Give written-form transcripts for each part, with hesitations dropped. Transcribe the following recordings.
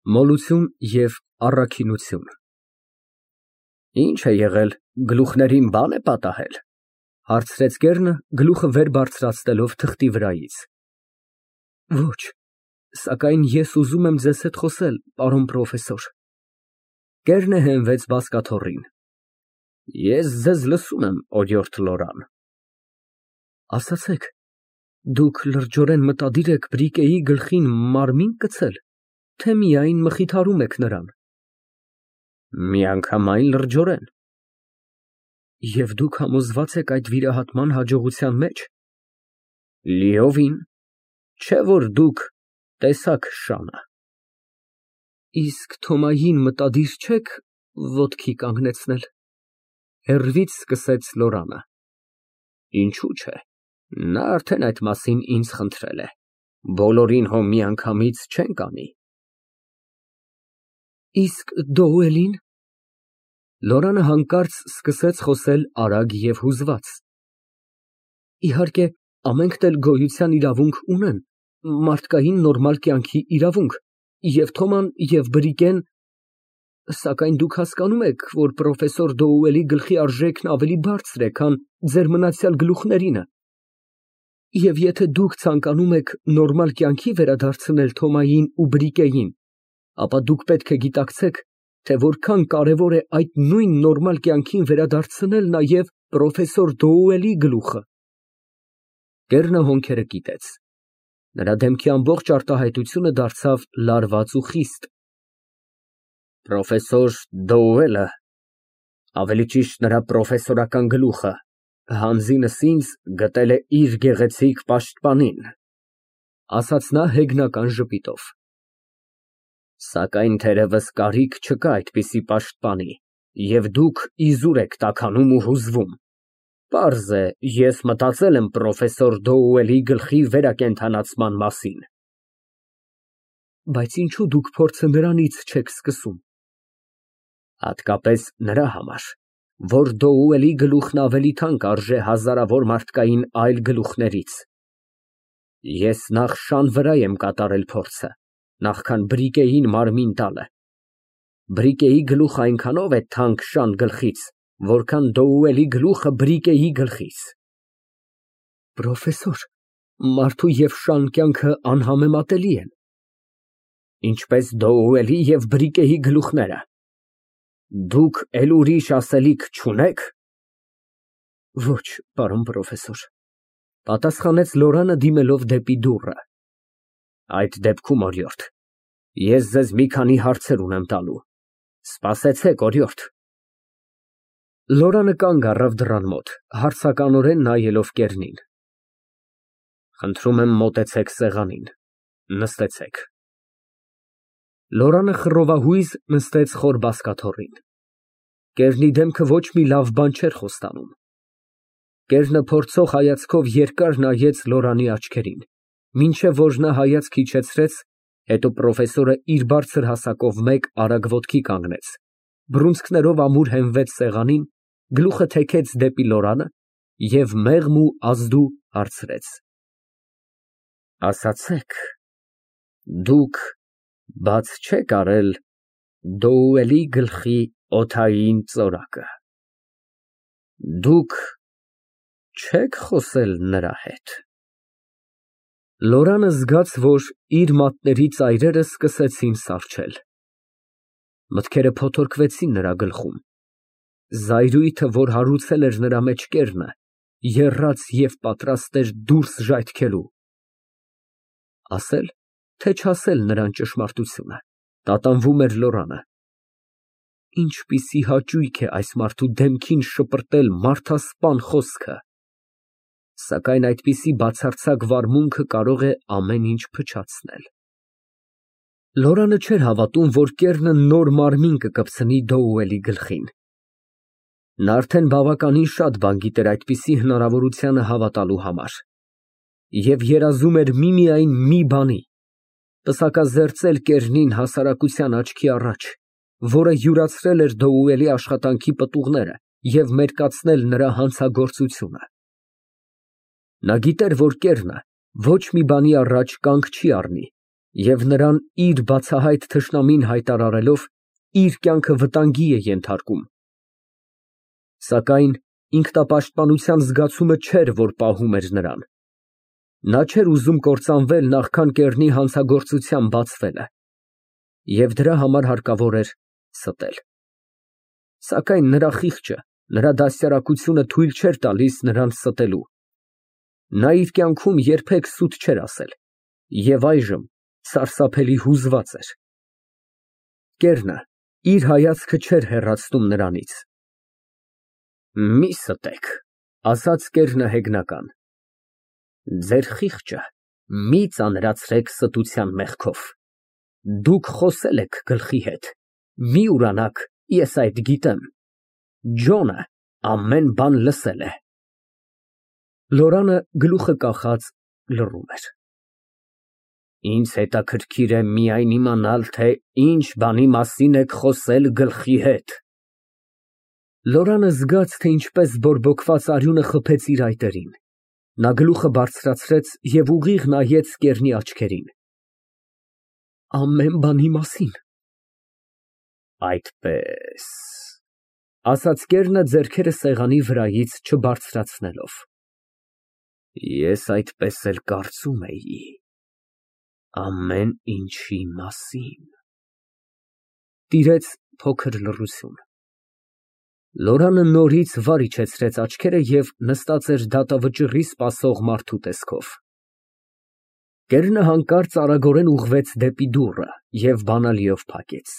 Մոլություն և առաքինություն։ Ի՞նչ է եղել, գլուխներին բան է պատահել, հարցրեց կեռը, գլուխը վեր բարձրացնելով թղթի վրայից։ Ոչ, սակայն ես ուզում եմ ձեզ հետ խոսել, պարոն պրոֆեսոր։ Կեռը հենվեց բազկաթոռին։ Ես ձեզ լսում եմ, օրիորդ Լորան։ Ասացեք, դուք լրջորեն մտադիր եք Բրիկեի գլխին մարմին կցել, թե միայն մխիթարում եք նրան։ Միանգամայն լրջորեն։ Եվ դուք համոզված եք այդ վիրահատման հաջողության մեջ։ Լիովին, չէ որ դուք տեսաք շանը։ Իսկ Թոմային մտադիր չեք ոտքի կանգնեցնել։ Հեռվից սկսեց Լորանը։ Ինչու՞ չէ, նա արդեն այդ մասին ինձ խնդրել է, բոլորին հո միանգամից չենք անի։ Իսկ Դոուելին։ Լորանը հանկարծ սկսեց խոսել արագ և հուզված։ Իհարկե, ամենքն էլ գոյության իրավունք ունեն, մարդկային նորմալ կյանքի իրավունք, և Թոման, և Բրիկեն, սակայն դուք հասկանում եք, որ պրոֆեսոր Դոուելի գլխի արժեքն ավելի բարձր է, քան ձեր մնացյալ գլուխներինը, և եթե դուք ցանկանում եք նորմալ կյանքի վերադարձնել Թոմային ու Բրիկեին, ապա դուք պետք է գիտակցեք, թե որքան կարևոր է այդ նույն նորմալ կյանքին վերադարձնել նաև պրոֆեսոր Դոուելի գլուխը։ Կեռը հոնքերը կիտեց։ Նրա դեմքի ամբողջ արտահայտությունը դարձավ լարված ու խիստ։ Պրոֆեսոր Դոուելը, ավելի ճիշտ նրա պրոֆեսորական գլուխը, հանձինս ինձ գտել է իր գեղեցիկ պաշտպանին, ասաց նա հեգնական ժպիտով։ Սակայն թերևս կարիք չկա այդպիսի պաշտպանի, և դուք իզուր եք տաքանում ու հուզվում։ Պարզ է, ես մտածել եմ պրոֆեսոր Դոուելի գլխի վերակենդանացման մասին։ Բայց ինչու դուք փորձը նրանից չեք սկսում։ Հատկապես նրա համար, որ Դոուելի գլուխն ավելի թանկ արժե հազարավոր մարդկային այլ գլուխներից։ Ես նախ շան վրա եմ կատարել փորձը, նախքան Բրիկեին մարմին տալը։ Բրիկեի գլուխը այնքանով է թանկ շան գլխից, որքան Դոուելի գլուխը Բրիկեի գլխից։ Պրոֆեսոր, մարդու և շան կյանքը անհամեմատելի են։ Ինչպես Դոուելի և Բրիկեի գլուխները։ Դուք էլ ուրիշ ասելիք չունե՞ք։ Ոչ, պարոն պրոֆեսոր, պատասխանեց Լորանը դիմելով դեպի դուռը։ Այդ դեպքում, օրիորդ, ես ձեզ մի քանի հարցեր ունեմ տալու։ Սպասեցեք, օրիորդ։ Լորանը կանգ առավ դռան մոտ, հարցականորեն նայելով կեռնին։ Խնդրում եմ մոտեցեք սեղանին, նստեցեք։ Լորանը խռովահույզ նստեց խոր բազկաթոռին։ Կեռնի դեմքը ոչ մի լավ բան չէր խոստանում։ Կեռնը փորձող հայացքով երկար նայեց Լորանի աչքերին, մինչև որ նա հայացք իջեցրեց, հետո պրոֆեսորը իր բարձր հասակով մեկ արագ ոտքի կանգնեց, բռունցքներով ամուր հենվեց սեղանին, գլուխը թեքեց դեպի Լորանը և մեղմ ու ազդու հարցրեց. Ասացեք, դուք բաց չեք արել Դոուելի գլխի օդային ծորակը։ Դուք չեք խոսել նրա հետ։ Լորանը զգաց, որ իր մատների ծայրերը սկսեցին սառչել։ Մտքերը փոթորկվեցին նրա գլխում։ Զայրույթը, որ հարուցել էր նրա մեջ կեռը, եռաց և պատրաստ էր դուրս ժայթքելու։ Ասել, թե չասել նրան ճշմարտությունը, տատանվում էր Լորանը։ Ինչպիսի հաճույք է այս մարդու դեմքին շպրտել մարդասպան խոսքը։ Սակայն այդպիսի բացարձակ վարմունքը կարող է ամեն ինչ փչացնել։ Լորանը չէր հավատում, որ կեռը նոր մարմին կկպցնի Դոուելի գլխին։ Նա արդեն բավականին շատ բան գիտեր այդպիսի հնարավորությանը հավատալու համար։ Եվ երազում էր միմիայն մի բանի, պսակազերծել կեռնին հասարակության աչքի առաջ, որը յուրացրել էր Դոուելի աշխատանքի պտուղները և մերկացնել նրա հանցագործությունը։ Նա գիտեր, որ կեռը ոչ մի բանի առաջ կանգ չի առնի Եվ նրան իր բացահայտ թշնամին հայտարարելով իր կյանքը վտանգի է ենթարկում։ Սակայն ինքնապաշտպանության զգացումը չէր, որ պահում էր նրան։ Նա չէր ուզում կործանվել, նախքան կեռնի հանցագործության բացվելը, և դրա համար հարկավոր էր ստել։ Սակայն նրա խիղճը, նրա դաստիարակությունը թույլ չէր տալիս նրան ստելու։ Նա իր կյանքում երբեք սուտ չէր ասել և այժմ սարսափելի հուզված էր։ Կեռնը իր հայացքը չէր հեռացնում նրանից։ Մի ստեք, ասաց կեռնը հեգնական, ձեր խիղճը մի ծանրացրեք ստության մեղքով։ Դուք խոսել եք գլխի հետ, մի ուրանաք, ես այդ գիտեմ, Ջոնը ամեն բան լսել է։ Լորանը գլուխը կախած լռում էր։ Ինձ հետաքրքիր է միայն իմանալ, թե ինչ բանի մասին եք խոսել գլխի հետ։ Լորանը զգաց, թե ինչպես բորբոքված արյունը խփեց իր այտերին։ Նա գլուխը բարձրացրեց և ուղիղ նայեց կեռնի աչքերին։ Ամեն բանի մասին։ Այդպես, ասաց կեռնը ձեռքերը սեղանի վրայից չբարձրացնելով։ Ես այդպես էլ կարծում էի, ամեն ինչի մասին։ Տիրեց փոքր լռություն։ Լորանը նորից վար իջեցրեց աչքերը և նստած էր դատավճիռի սպասող մարդու տեսքով։ Կեռնը հանկարծ արագորեն ուղղվեց դեպի դուռը և բանալիով փակեց։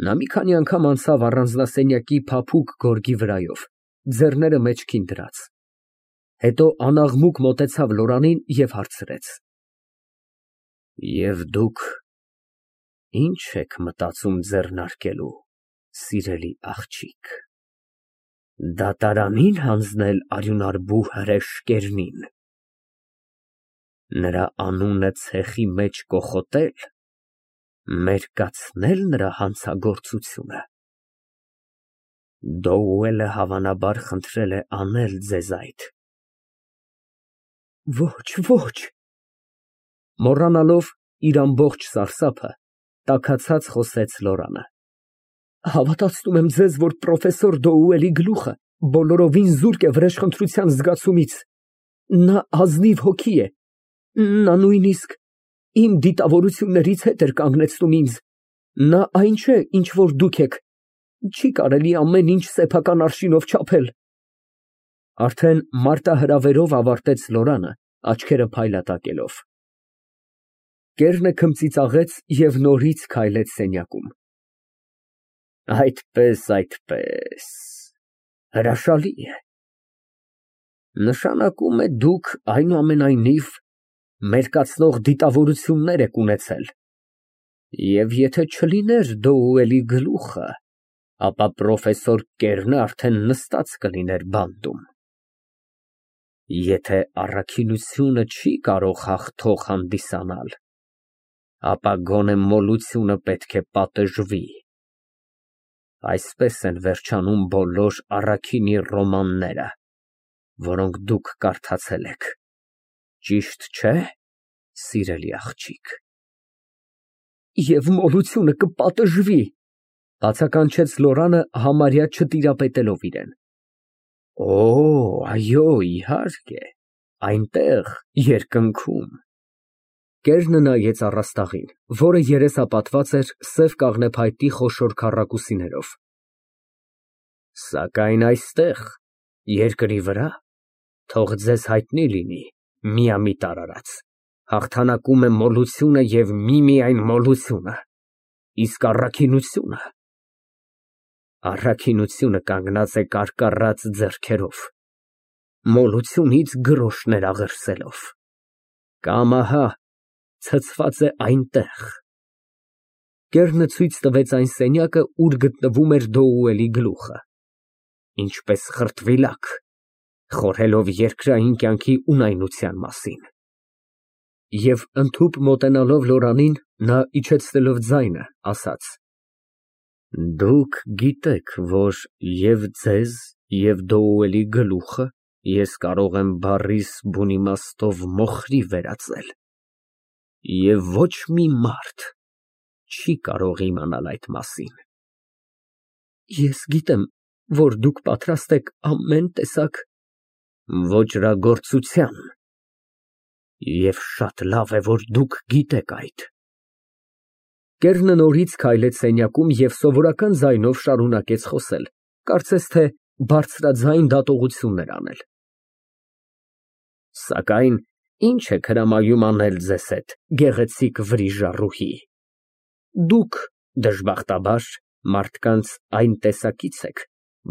Նա մի քանի անգամ անցավ առանձնասենյակի փափուկ գորգի վրայով, ձեռները մեջքին դրած։ Հետո անաղմուկ մոտեցավ Լորանին և հարցրեց. Եվ դուք ի՞նչ եք մտածում ձեռնարկելու, սիրելի աղջիկ, դատարանի՞ն հանձնել արյունարբու հրեշ կեռնին, նրա անունը ցեխի մեջ կոխոտել, մերկացնել նրա հանցագործությունը։ Դոուելը հավանաբար խնդրել է անել ձեզ այդ։ Ոչ։ Մոռանալով իր ամբողջ սարսափը, տաքացած խոսեց Լորանը։ Հավատացնում եմ ձեզ, որ պրոֆեսոր Դոուելի գլուխը բոլորովին զուրկ է վրեժխնդրության զգացումից։ Նա ազնիվ հոգի է։ Նա նույնիսկ իմ դիտավորություններից հետ էր կանգնեցնում ինձ։ Նա այն չէ, ինչ որ դուք եք։ Չի կարելի ամեն ինչ սեփական արշինով չափել։ Արդեն մարտահրավերով ավարտեց Լորանը, աչքերը փայլատակելով։ Կեռնը քմծիծաղեց և նորից քայլեց սենյակում։ Այդպես, հրաշալի է։ Նշանակում է դուք այնուամենայնիվ մերկացնող դիտավորություններ եք ունեցել, և եթե չլիներ Դոուելի գլուխը, ապա պրոֆեսոր Կեռնը արդեն նստած կլիներ բանտում։ Եթե առաքինությունը չի կարող հաղթող հանդիսանալ, ապա գոնե մոլությունը պետք է պատժվի։ Այսպես են վերջանում բոլոր առաքինի ռոմանները, որոնք դուք կարդացել եք, ճիշտ չէ՞, սիրելի աղջիկ։ Եվ մոլությունը կպատժվի, բացականչեց Լորանը համարյա չտիրապետելով իրան։ Օ, այո, իհարկե, այնտեղ, երկնքում։ Կեռնը նայեց առաստաղին, որը երեսապատված էր սև կաղնեփայտի խոշոր քառակուսիներով։ Սակայն այստեղ, երկրի վրա, թող ձեզ հայտնի լինի, միամիտ արարած, հաղթանակում է մոլությունը և միմիայն մոլությունը, իսկ առաքինությունը կանգնած է կարկառած ձեռքերով, մոլությունից գրոշներ աղերսելով, կամ ահա ցցված է այնտեղ։ Կեռնը ցույց տվեց այն սենյակը, ուր գտնվում էր Դոուելի գլուխը, ինչպես խրտվիլակ, խորհելով երկրային կյանքի ունայնության մասին։ Եվ ընդհուպ մոտենալով Լորանին, նա իջեցնելով ձայնը, ասաց. Դուք գիտեք, որ և ձեզ, և Դոուելի գլուխը ես կարող եմ բառիս բուն իմաստով մոխրի վերածել։ Եվ ոչ մի մարդ չի կարող իմանալ այդ մասին։ Ես գիտեմ, որ դուք պատրաստ եք ամեն տեսակ ոճրագործության, և շատ լավ է, որ դուք գիտեք այդ։ Կեռնը նորից քայլեց սենյակում և սովորական ձայնով շարունակեց խոսել, կարծես թե բարձրաձայն դատողություններ անել։ Սակայն ինչ եք հրամայում անել ձեզ հետ, գեղեցիկ վրիժառուհի։ Դուք, դժբախտաբար, մարդկանց այն տեսակից եք,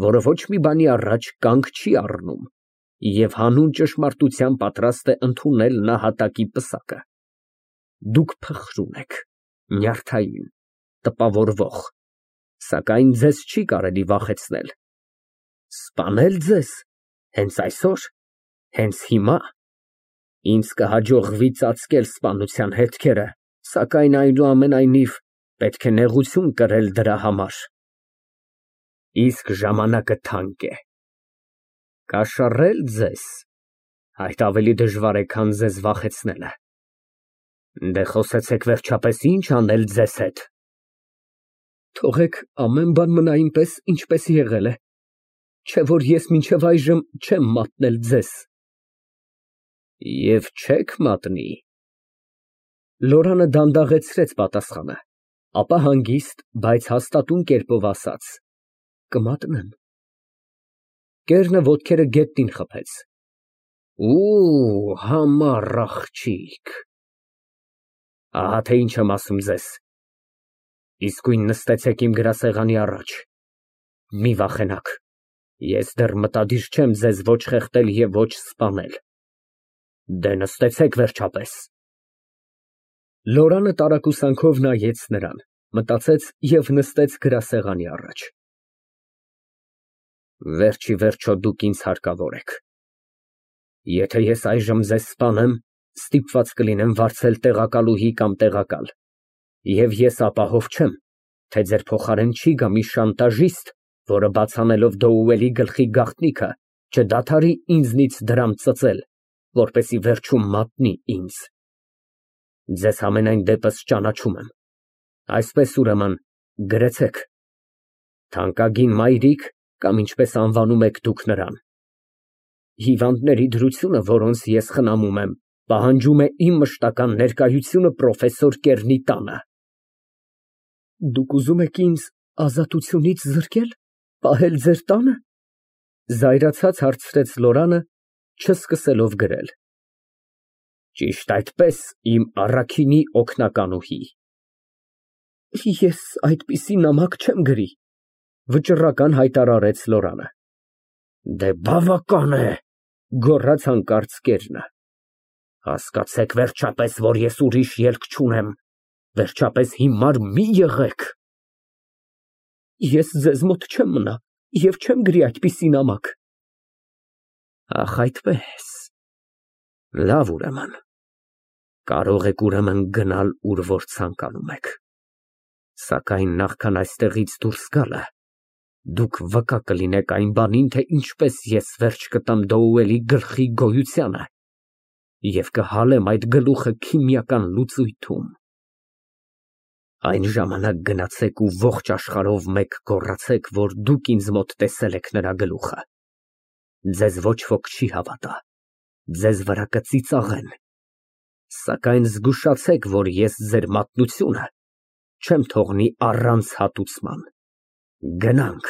որը ոչ մի բանի առաջ կանգ չի առնում և հանուն ճշմարտության պատրաստ է ընդունել նահատակի պսակը։ Դուք փխրուն եք, նյարդային, տպավորվող, սակայն ձեզ չի կարելի վախեցնել։ Սպանել ձեզ, հենց այսօր, հենց հիմա, ինձ կհաջողվի ծածկել սպանության հետքերը, սակայն այնուամենայնիվ պետք է նեղություն կրել դրա համար։ Իսկ ժամանակը թանկ է։ Կաշառել ձեզ, այդ ավելի դժվար է, քան ձեզ վախեցնելը։ Դե խոսեցեք վերջապես ինչ անել ձեզ հետ։ Թողեք ամեն բան մնա այնպես, ինչպես եղել է, չէ՞ որ ես մինչև այժմ չեմ մատնել ձեզ։ Եվ չեք մատնի։ Լորանը դանդաղեցրեց պատասխանը, ապա հանգիստ, բայց հաստատուն կերպով ասաց. Կմատնեմ։ Կեռնը ոտքերը գետնին խփեց։ Ու, համառ աղջիկ։ Ահա թե ինչ եմ ասում ձեզ։ Իսկույն նստեցեք իմ գրասեղանի առաջ։ Մի վախենաք, ես դեռ մտադիր չեմ ձեզ ոչ խեղդել և ոչ սպանել։ Դե նստեցեք վերջապես։ Լորանը տարակուսանքով նայեց նրան, մտածեց և նստեց գրասեղանի առաջ։ Վերջ ի վերջո դուք ինձ հարկավոր եք։ Եթե ես այժմ ձեզ սպանեմ, ստիպված կլինեմ վարձել տեղակալուհի կամ տեղակալ, և ես ապահով չեմ, թե ձեր փոխարեն չի գա մի շանտաժիստ, որը բաց անելով Դոուելի գլխի գաղտնիքը, չդադարի ինձնից դրամ ծծել, որպեսզի վերջում մատնի ինձ։ Ձեզ համենայն դեպս ճանաչում եմ, այսպես ուրեմն գրեցեք. թանկագին մայրիկ, կամ ինչպես անվանում եք դուք նրան։ Հիվանդների դրությունը, որոնց ես խնամում եմ, պահանջում է իմ մշտական ներկայությունը պրոֆեսոր Կեռնի տանը։ Դուք ուզում եք ինձ ազատությունից զրկել, պահել ձեր տանը։ Զայրացած հարցրեց Լորանը, չսկսելով գրել։ Ճիշտ այդպես, իմ առաքինի օգնականուհի։ Ես այդպիսի նամակ չեմ գրի, վճռական հայտարարեց Լորանը։ Դե բավական է, գոռաց հանկարծ Կեռնը։ Հասկացեք վերջապես, որ ես ուրիշ ելք չունեմ, վերջապես հիմար մի եղեք։ Ես ձեզ մոտ չեմ մնա և չեմ գրի այդպիսի նամակ։ Ախ, այդպես։ Լավ ուրեմն, կարող եք ուրեմն գնալ, ուր որ ցանկանում եք, սակայն նախքան այստեղից դուրս գալը, դուք վկա կլինեք այն բանին, թե ինչպես ես վերջ կտամ Դոուելի գլխի գոյությանը և կհալեմ այդ գլուխը քիմիական լուծույթում։ Այն ժամանակ գնացեք ու ողջ աշխարհով մեկ գոռացեք, որ դուք ինձ մոտ տեսել եք նրա գլուխը։ Ձեզ ոչ ոք չի հավատա, ձեզ վրա կծիծաղեն, սակայն զգուշացեք, որ ես ձեր մատնությունը չեմ թողնի առանց հատուցման։ Գնանք։